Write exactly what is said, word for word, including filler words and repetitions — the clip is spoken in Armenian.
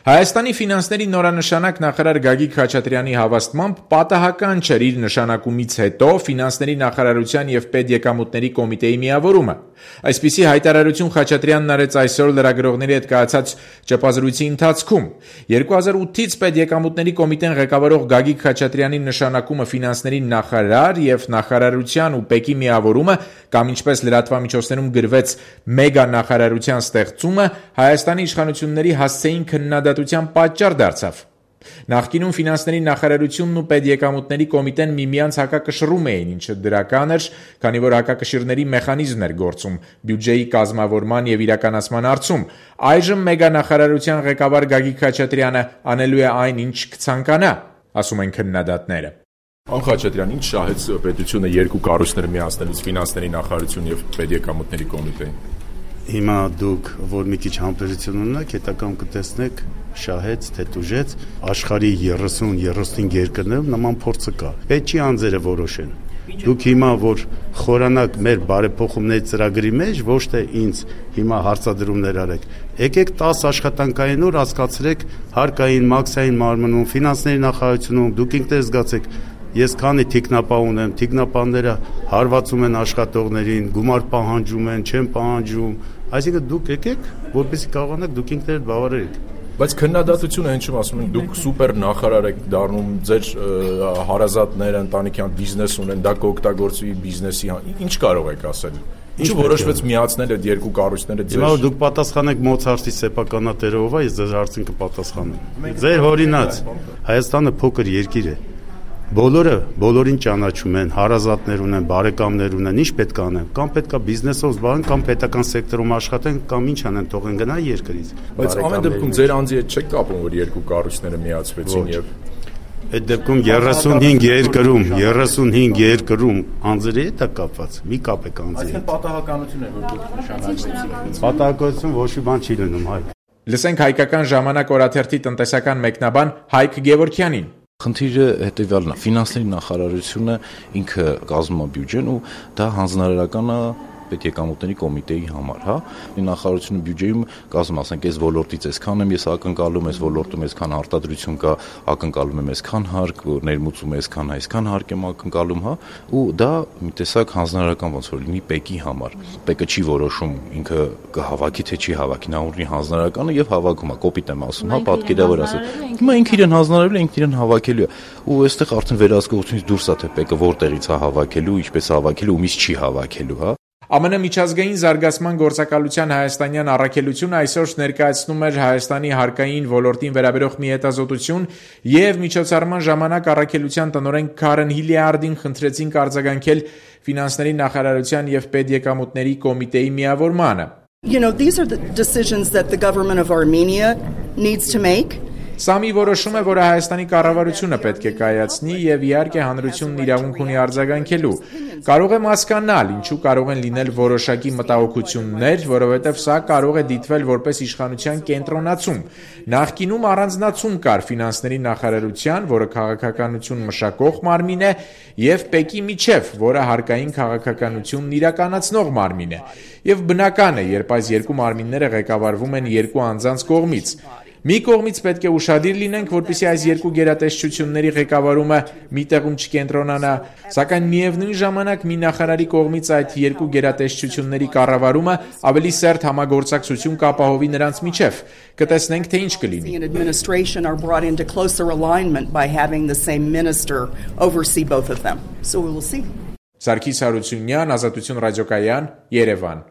Հայաստանի ֆինանսների նորանշանակ նախարար Գագիկ Խաչատրյանի հավաստմամբ պատահական չէր իր նշանակումից հետո ֆինանսների նախարարության եւ պետեկամուտների կոմիտեի միավորումը։ Այսպիսի հայտարարություն Խաչատրյանն արեց այսօր լրագրողների հետ կայացած ճեպազրույցի ընթացքում։ երկու հազար ութից պետեկամուտների կոմիտեն ղեկավարող Գագիկ Խաչատրյանի նշանակումը ֆինանսների նախարար եւ նախարարության ու ՊԵԿ-ի միավորումը կամ ինչպես լրատվամիջոցներում գրվեց մեգա նախարարության ստեղծումը Հայաստանի իշխանությունների հասցեին քննադատության պատճառ դարձավ։ Նախկինում ֆինանսների նախարարությունն ու պետեկամուտների կոմիտեն միմյանց հակակշռում էին, ինչը դրական էր, քանի որ հակակշիռների մեխանիզմ էր գործում բյուջեի կազմավորման եւ իրականացման հարցում։ Այժմ մեգա նախարարության ղեկավար Գագիկ Խաչատրյանը անելու է այն, ինչ կցանկանա, ասում են քննադատները։ Պարոն Խաչատրյան, ինչ շահեց պետությունը երկու կառույցներ միացնելուց ֆինանսների նախարարություն եւ պետեկամուտների կոմիտեին։ Հիմա դուք որ մի քիչ համբերություն ունեք, հետագայում կտեսնեք շահեց, թե տուժեց աշխարհի երեսուն երեսունհինգ երկրներում նման փորձը կա։ Պետք չի անձերը որոշեն։ Դուք հիմա որ խորանաք մեր բարեփոխումների ծրագրի մեջ, ոչ թե ինձ հիմա հարցադրումներ արեք։ Եկեք տասը աշխատանքային օր հասկացրեք հարկային, մաքսային մարմնում, ֆինանսների նախարարությունում, դուք ինքներս զգացեք Ես քանի թիկնապահ ունեմ, թիկնապահները հարվածում են աշխատողներին, գումար պահանջում են, չեն պահանջում, այսինքն դուք եկեք, որպեսզի կարողանաք դուք ինքներդ բավարարեք։ Բայց քննադատությունը հենց ասում են, դուք սուպեր նախարար եք դառնում, ձեր հարազատները ընտանիքյան բիզնես ունեն, դա կօգտագործվի բիզնեսի, ինչ կարող եք ասել։ Ինչու որոշվեց միացնել այդ երկու կառույցները ձեր։ Հիմա դուք պատասխանեք Մոցարտի սեփականատերով, ես ձեր հարցին կպատասխանեմ։ Ձեր հորինած Հայաստանը փոքր երկիր է։ Բոլորը բոլորին ճանաչում են, հարազատներ ունեն, բարեկամներ ունեն, ինչ պետք է անեն, կամ պետքա բիզնեսով զբաղեն, կամ պետական սեկտորում աշխատեն, կամ ինչ անեն, թողեն գնա երկրից։ Բայց ամեն դեպքում ձեր անձի հետ չեք կապում, որ երկու կառույցները միացվեցին եւ այդ դեպքում երեսունհինգ երկրում, երեսունհինգ երկրում անձերի հետ է կապված։ Մի կապեք անձի հետ։ Այսինքն պատահականություն է, որ դուք նշանակվեցիք։ Պատահականություն ոչ մի բան չի լինում, հայ։ Լսենք հայկական ժամանակ օրաթերթի տնտեսական մեկնաբան Հայկ Գևորգյանին։ Խնդիրը հետևյալն է, ֆինանսների նախարարությունը ինքը կազմում է բյուջեն ու դա հանձնարարական է պետեկամուտների կոմիտեի համար, հա։ Նախարարությունը բյուջեում կազմում, ասենք, այս ոլորտից այսքան եմ ես ակնկալում, այս ոլորտում այսքան արտադրություն կա, ակնկալում եմ այսքան հարկ, ներմուծում այսքան, այսքան հարկ եմ ակնկալում, հա, ու դա մի տեսակ հանձնարարական ոնց որ լինի ՊԵԿ-ի համար։ ՊԵԿ-ը չի որոշում ինքը կհավաքի թե չի հավաքի, նա ունի հանձնարարականը եւ հավաքում է, կոպիտ եմ ասում, հա, պատկերավոր ասել։ Հիմա ինքը իրեն հանձնարարել է, ինքը իրեն հավաքելու է։ Ու այստեղ արդեն վերահսկողությունից դուրս է թե ՊԵԿ-ը որտեղից է հավաքելու, ինչպես է հավաքելու, ումից չի հավաքելու, հա։ ԱՄՆ միջազգային զարգացման գործակալության հայաստանյան առաքելությունը այսօր ներկայացնում էր Հայաստանի հարկային ոլորտին վերաբերող մի հետազոտություն եւ միջոցառման ժամանակ առաքելության տնօրեն Քարեն Հիլիարդին խնդրեցին արձագանքել ֆինանսների նախարարության եւ պետեկամուտների կոմիտեի միավորմանը։ You know, these are the decisions that the government of Armenia needs to make. Սա մի որոշում է, որը Հայաստանի կառավարությունը պետք է կայացնի եւ իհարկե հանրությունն իրավունք ունի արձագանքելու։ Կարող եմ հասկանալ, ինչու կարող են լինել որոշակի մտահոգություններ, որովհետեւ սա կարող է դիտվել որպես իշխանության կենտրոնացում։ Նախկինում առանձնացում կար ֆինանսների նախարարության, որը քաղաքականություն մշակող մարմին է, եւ ՊԵԿ-ի միջև, որը հարկային քաղաքականությունն իրականացնող մարմին է։ Եվ բնական է, երբ այս երկու մարմինները ղեկավարվում են երկու անձանց կողմից։ Մի կողմից պետք է ուշադիր լինենք, որպեսզի այս երկու գերատեսչությունների ղեկավարումը մի տեղում չկենտրոնանա, սակայն միևնույն ժամանակ մի նախարարի կողմից այդ երկու գերատեսչությունների կառավարումը ավելի սերտ համագործակցություն կապահովի նրանց միջև։ Կտեսնենք, թե ինչ կլինի։ Սարգիս Հարությունյան, Ազատություն ռադիոկայան, Երևան։